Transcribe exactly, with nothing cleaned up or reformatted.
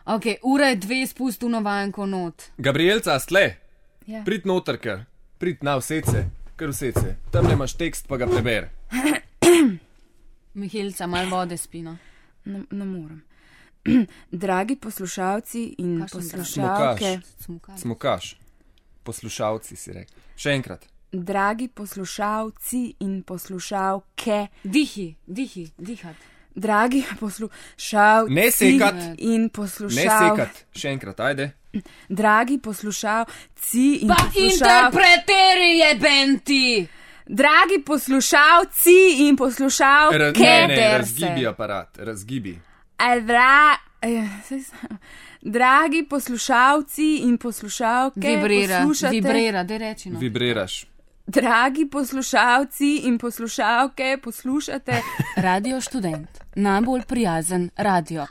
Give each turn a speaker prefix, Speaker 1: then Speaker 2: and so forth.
Speaker 1: Ok, ura je dve, spustu navajanko not.
Speaker 2: Gabrielca, stle?
Speaker 1: Ja.
Speaker 2: Prid noter, ker. Prid na vsece, kar vsece. Tam nemaš tekst, pa ga preber.
Speaker 1: Mihelica, malo vode spino.
Speaker 3: Ne, ne morem. Dragi poslušalci in
Speaker 1: Kakšen
Speaker 3: poslušalke.
Speaker 1: Smukaš.
Speaker 2: Smukaš. Poslušalci si rekel. Še enkrat.
Speaker 3: Dragi poslušalci in poslušalke.
Speaker 1: Dihi, dihi, dihat.
Speaker 3: Dragi poslušalci
Speaker 2: Ne sekat.
Speaker 3: in
Speaker 2: Ne
Speaker 3: poslušalke.
Speaker 2: sekat. Še enkrat, ajde.
Speaker 3: Dragi poslušalci in
Speaker 1: Pa
Speaker 3: poslušalke.
Speaker 1: interpreteri je benti!
Speaker 3: Dragi poslušalci in poslušalke.
Speaker 2: Ra- ne, ne,
Speaker 1: Keder
Speaker 2: razgibi
Speaker 1: se.
Speaker 2: aparat, razgibi.
Speaker 3: Dra... eh, saj sem- Dragi poslušalci in poslušalke.
Speaker 1: Vibrira,
Speaker 3: poslušate-
Speaker 1: vibrira, daj reči no.
Speaker 2: Vibriraš.
Speaker 3: Dragi poslušalci in poslušalke, poslušate
Speaker 1: Radio Študent, najbolj prijazen radio.